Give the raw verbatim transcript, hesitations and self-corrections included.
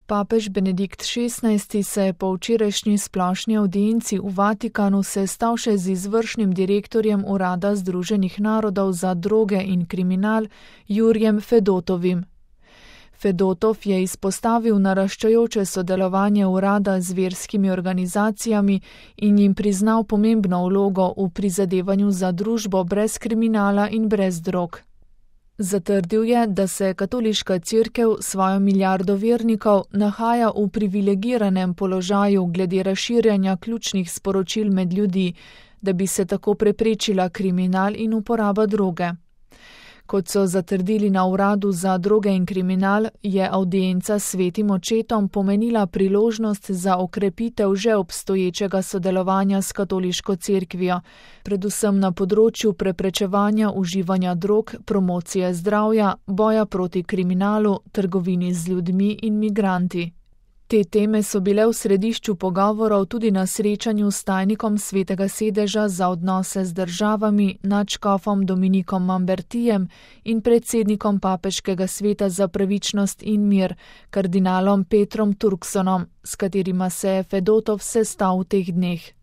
Papež Benedikt šestnajsti se je po včerajšnji splošni avdienci v Vatikanu sestal še z izvršnim direktorjem Urada Združenih narodov za droge in kriminal Jurjem Fedotovim. Fedotov je izpostavil naraščajoče sodelovanje urada z verskimi organizacijami in jim priznal pomembno vlogo v prizadevanju za družbo brez kriminala in brez drog. Zatrdil je, da se katoliška cerkev svojo milijardo vernikov nahaja v privilegiranem položaju glede razširjanja ključnih sporočil med ljudi, da bi se tako preprečila kriminal in uporaba droge. Kot so zatrdili na uradu za droge in kriminal, je avdienca s svetim očetom pomenila priložnost za okrepitev že obstoječega sodelovanja s katoliško cerkvijo, predvsem na področju preprečevanja uživanja drog, promocije zdravja, boja proti kriminalu, trgovini z ljudmi in migranti. Te teme so bile v središču pogovorov tudi na srečanju s tajnikom Svetega sedeža za odnose z državami, nadškofom Dominikom Mambertijem in predsednikom Papeškega sveta za pravičnost in mir, kardinalom Petrom Turksonom, s katerima se je Fedotov sestal v teh dneh.